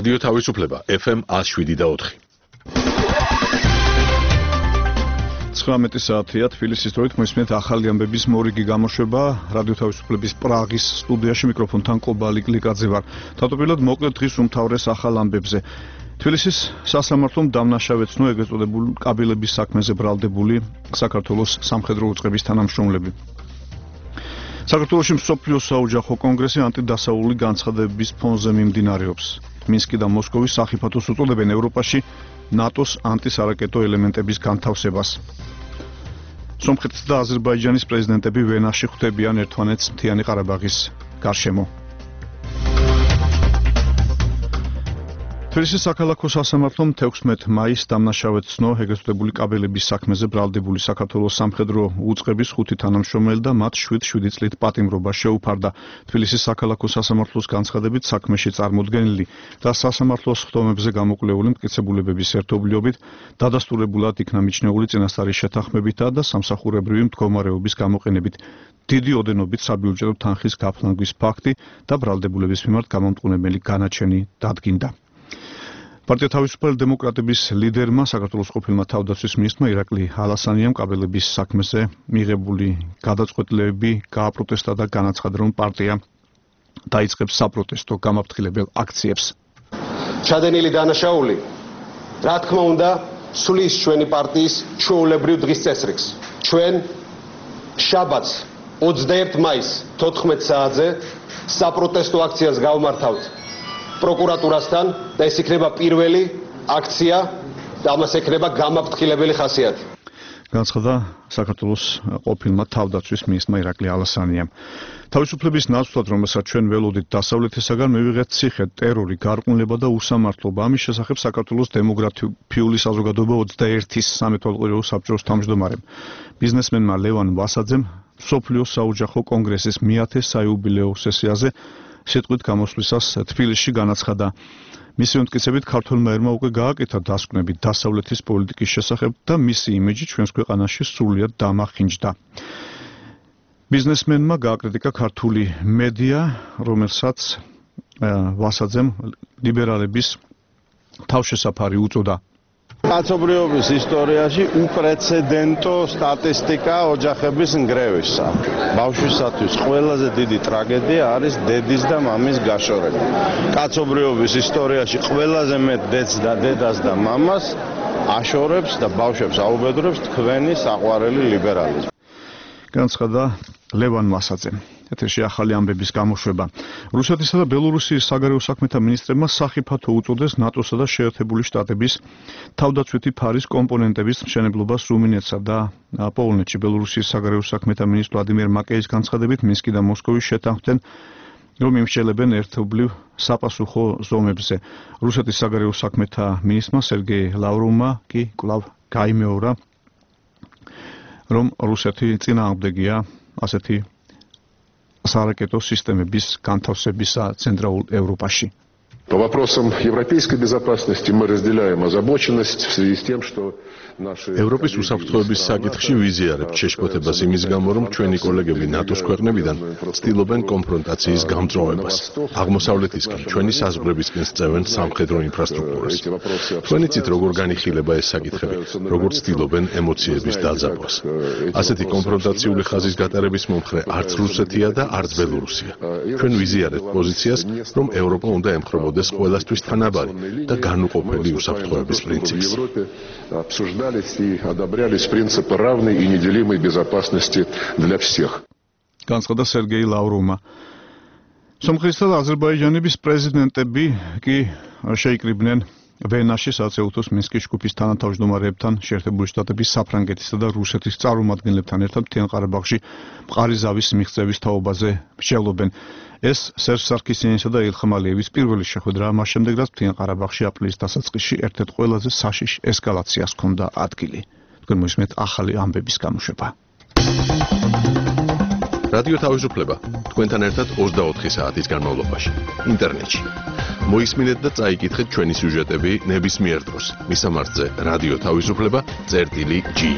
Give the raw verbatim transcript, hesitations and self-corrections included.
რადიო თავისუფლება ეფ ემ ნული შვიდი და ოთხი. ცხრამეტი საათია თბილისის დროით მოისმენთ ახალი ამბების მორიგი გამოშვება რადიო თავისუფლების პრაღის სტუდიაში მიკროფონთან კობალი გლიკაძე ვარ. თავდაპირველად მოკლედ დღის უმთავრეს ახალ ამბებზე. თბილისის სასამართლომ დამნაშავე ცნო ეგრეთ წოდებულ კაბელების საქმეზე ბრალდებული საქართველოს სამხედრო უწყების თანამშრომლები. საქართველოში მსოფლიო საოჯახო კონგრესი ანტიდასაული განცხადებების ფონზე მიმდინარეობს. მინსკი და მოსკოვის სახიფათოს უწოდებენ ევროპაში ნატოს ანტისარაკეტო ელემენტების განთავსებას. სომხეთის და აზერბაიჯანის პრეზიდენტები ვენაში ხვდებიან ერთმანეთს მთიანი ყარაბაღის გარშემო. თბილისის საქალაქო სასამართლომ თექვსმეტ მაისს დამნაშავედ ცნო ეგრეთ წოდებული კაბელების საქმეზე ბრალდებული საქართველოს სამხედრო უწყების ხუთი თანამშრომელი და მათ შვიდ შვიდი წლით პატიმრობა შეუფარდა. თბილისის საქალაქო სასამართლოს განცხადებით საქმეში წარმოდგენილი და სასამართლოს ხდომებზე გამოკვლეული მტკიცებულებების ერთობლიობით დადასტურებულად იქნა მიჩნეული წინასწარი შეთანხმებითა და სამსახურებრივი მდგომარეობის გამოყენებით დიდი ოდენობით საბიუჯეტო თანხის გაფლანგვის ფაქტი და ბრალდებულების მიმართ გამომტყუნებელი განაჩენი დადგინდა. პარტია თავისუფალი დემოკრატების ლიდერმა საქართველოს ყოფილმა თავდაცვის მინისტრმა ირაკლი ალასანიამ კაბელების საქმეზე მიღებული გადაწყვეტილებები გააპროტესტა და განაცხადა, რომ პარტია დაიწყებს საპროტესტო გამაფრთხილებელ აქციებს. ჩადენილი დანაშაული, რა თქმა უნდა, სulis ჩვენი პარტიის ჩვეულებრივ დღის წესრიგს. ჩვენ შაბათს ოცდაერთი მაისს თოთხმეტ საათზე საპროტესტო აქციას გავმართავთ პროკურატურასთან და ეს იქნება პირველი აქცია და ამას ექნება გამაფრთხილებელი ხასიათი. განცხადა საქართველოს ყოფილმა თავდაცვის მინისტრმა ირაკლი ალასანიამ. თავისუფლების ნაცვლად, რომელსაც ჩვენ ველოდით დასავლეთისაგან მივიღეთ ციხე, ტერორი, გარყვნილება და უსამართლობა. ამის შესახებ საქართველოს დემოგრაფიული საზოგადოება ოცდაერთის სამეთვალყურეო საბჭოს თავმჯდომარემ ბიზნესმენმა ლევან ვასაძემ მსოფლიო საოჯახო კონგრესის მეათე საიუბილეო სესიაზე სიტყვით გამოსვლისას თბილისში განაცხადა. მისი მტკიცებით ქართველმა ერმა უკვე გააკეთა დასკვნები დასავლეთის პოლიტიკის შესახებ და მისი იმიჯი ჩვენს ქვეყანაში სრულიად დამახინჯდა. ბიზნესმენმა გააკრიტიკა ქართული მედია, რომელსაც ვასაძემ ლიბერალების თავშესაფარი უწოდა. კაცობრიობის ისტორიაში უპრეცედენტო სტატისტიკა ოჯახების ნგრევისა. ბავშვისათვის ყველაზე დიდი ტრაგედია არის დედის და მამის გაშორება. კაცობრიობის ისტორიაში ყველაზე მეტ დედს და დედას და მამას აშორებს და ბავშვებს აუბედურებს თქვენი საყვარელი ლიბერალიზმი. განცხადა ლევან ვასაძემ. ეთერში ახალი ამბების გამოშვება. რუსეთისა და ბელორუსიის საგარეო საქმეთა მინისტრებმა სახიფათო უწოდეს ნატოსა და შეერთებული შტატების თავდაცვითი ფარის კომპონენტების მშენებლობას რუმინეთსა და პოლონეთში. ბელორუსიის საგარეო საქმეთა მინისტრ ვლადიმერ მაკეის განცხადებით მინსკი და მოსკოვი შეთანხმდნენ, რომ იმსჯელებენ ერთობლივ საპასუხო ზომებზე. რუსეთის საგარეო საქმეთა მინისტრმა სერგეი ლავროვმა კი კვლავ გაიმეორა, რომ რუსეთი წინააღმდეგია ასეთი саракето системების განთავსებისა ცენტრალურ ევროპაში. По вопросам европейской безопасности мы разделяем озабоченность в связи с тем, что наши ევროპის უსაფრთხოების საკითხში ვიზიარებთ შეშფოთებას იმის გამო, რომ ჩვენი კოლეგები ნატოს ქვეყნებიდან ცდილობენ კონფრონტაციის გამწვავებას. აღმოსავლეთისკენ ჩვენი საზღვრებისკენ სწევენ სამხედრო ინფრასტრუქტურას. თქვენი ცით როგორ განიხილება ეს საკითხები, როგორ ცდილობენ ემოციების დაძაბვას. ასეთი კონფრონტაციული ხაზის გატარების მომხრე არც რუსეთია და არც ბელორუსია. ჩვენ ვიზიარებთ პოზიციას, რომ ევროპა უნდა ემხრობოდეს ყველასთვის თანაბარი და განუყოფელი უსაფრთხოების პრინციპს. обсуждались и одобрялись принципы равной и неделимой безопасности для всех. განცხადა სერგეი ლავროვმა. სომხეთისა და აზერბაიჯანის პრეზიდენტები კი შეიკრიბნენ ვენაში საცეუთოს მინსკის ჯგუფის თანათავმჯდომარეებთან, შეერთებული შტატების, საფრანგეთისა და რუსეთის წარმომადგენლებთან ერთად მთიან ყარაბაღში მყარი ზავის მიღწევის თაობაზე მსჯელობენ. ეს სერჟ სარქისიანისა და ილხამ ალიევის პირველი შეხვედრაა მას შემდეგ, რაც მთიან ყარაბაღში აპრილის დასაწყისში ერთ-ერთ ყველაზე საშიშ ესკალაციას ჰქონდა ადგილი. თქვენ მოისმენთ ახალი ამბების გამოშვება. რადიო თავისუფლება თქვენთან ერთად ოცდაოთხი საათის განმავლობაში ინტერნეტში. მოისმინეთ და წაიკითხეთ ჩვენი სიუჟეტები ნებისმიერ დროს. მისამართზე რადიო თავისუფლება წერტილი ჯი.